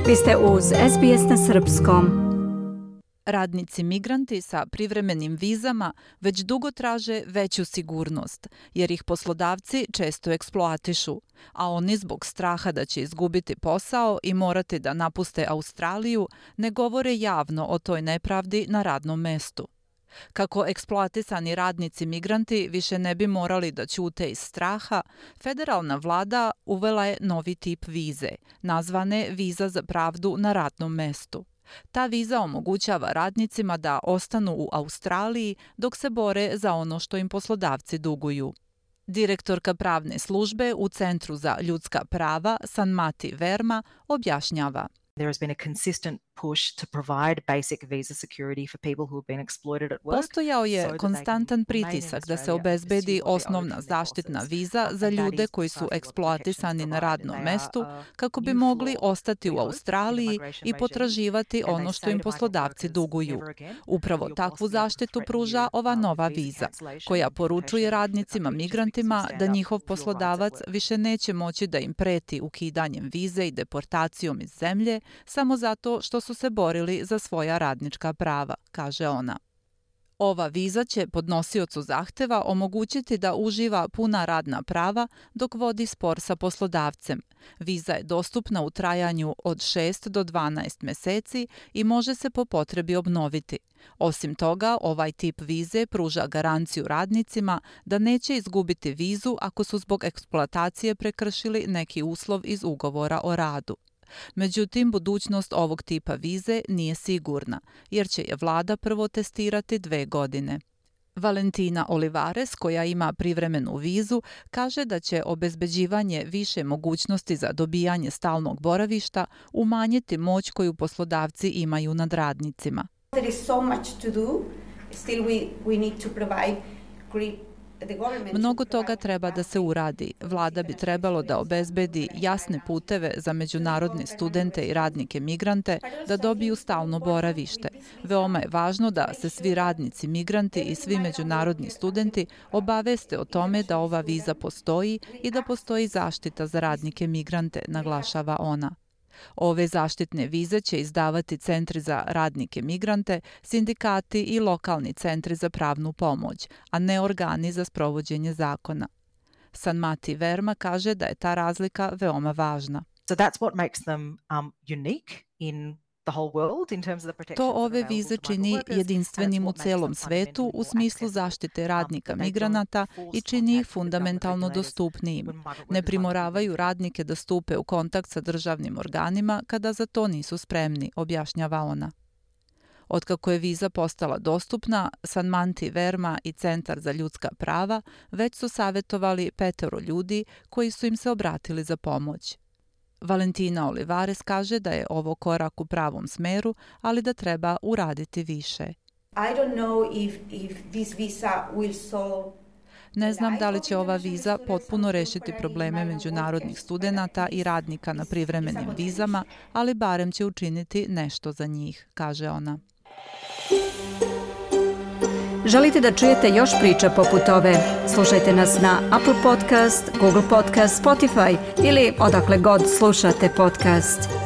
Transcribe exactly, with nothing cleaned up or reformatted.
Vi ste uz S B S na srpskom. Radnici migranti sa privremenim vizama već dugo traže veću sigurnost, jer ih poslodavci često eksploatišu, a oni zbog straha da će izgubiti posao i morati da napuste Australiju ne govore javno o toj nepravdi na radnom mestu. Kako eksploatisani radnici migranti više ne bi morali da ćute iz straha, federalna vlada uvela je novi tip vize, nazvane viza za pravdu na radnom mestu. Ta viza omogućava radnicima da ostanu u Australiji dok se bore za ono što im poslodavci duguju. Direktorka pravne službe u Centru za ljudska prava Sanmati Verma objašnjava. There has been a consistent push to provide basic visa security for people who have been exploited at work. Postojao je konstantan pritisak da se obezbedi osnovna zaštitna viza za ljude koji su eksploatisani na radnom mestu kako bi mogli ostati u Australiji i potraživati ono što im poslodavci duguju. Upravo takvu zaštitu pruža ova nova viza, koja poručuje radnicima migrantima da njihov poslodavac više neće moći da im preti ukidanjem vize i deportacijom iz zemlje samo zato što su se borili za svoja radnička prava, kaže ona. Ova viza će podnosiocu zahteva omogućiti da uživa puna radna prava dok vodi spor sa poslodavcem. Viza je dostupna u trajanju od šest do dvanaest meseci i može se po potrebi obnoviti. Osim toga, ovaj tip vize pruža garanciju radnicima da neće izgubiti vizu ako su zbog eksploatacije prekršili neki uslov iz ugovora o radu. Međutim, budućnost ovog tipa vize nije sigurna, jer će je vlada prvo testirati dve godine. Valentina Olivares, koja ima privremenu vizu, kaže da će obezbeđivanje više mogućnosti za dobijanje stalnog boravišta umanjiti moć koju poslodavci imaju nad radnicima. There is so much to do. Still we, we need to provide great. Mnogo toga treba da se uradi. Vlada bi trebalo da obezbedi jasne puteve za međunarodne studente i radnike migrante da dobiju stalno boravište. Veoma je važno da se svi radnici migranti i svi međunarodni studenti obaveste o tome da ova viza postoji i da postoji zaštita za radnike migrante, naglašava ona. Ove zaštitne vize će izdavati centri za radnike migrante, sindikati i lokalni centri za pravnu pomoć, a ne organi za sprovođenje zakona. Sanmati Verma kaže da je ta razlika veoma važna. So that's what makes them um, unique in the whole world in terms of the protection. To ove vize čini jedinstvenim u celom svetu u smislu zaštite radnika migranata i čini ih fundamentalno dostupnijim. Ne primoravaju radnike da stupe u kontakt sa državnim organima kada za to nisu spremni, objašnjava ona. Otkako je viza postala dostupna, Sanmati Verma i Centar za ljudska prava već su savjetovali petero ljudi koji su im se obratili za pomoć. Valentina Olivares kaže da je ovo korak u pravom smeru, ali da treba uraditi više. I don't know if, if this visa will solve. Ne znam da li će ova viza potpuno rešiti probleme međunarodnih studenata i radnika na privremenim vizama, ali barem će učiniti nešto za njih, kaže ona. Želite da čujete još priča poput ove? Slušajte nas na Apple Podcast, Google Podcast, Spotify ili odakle god slušate podcast.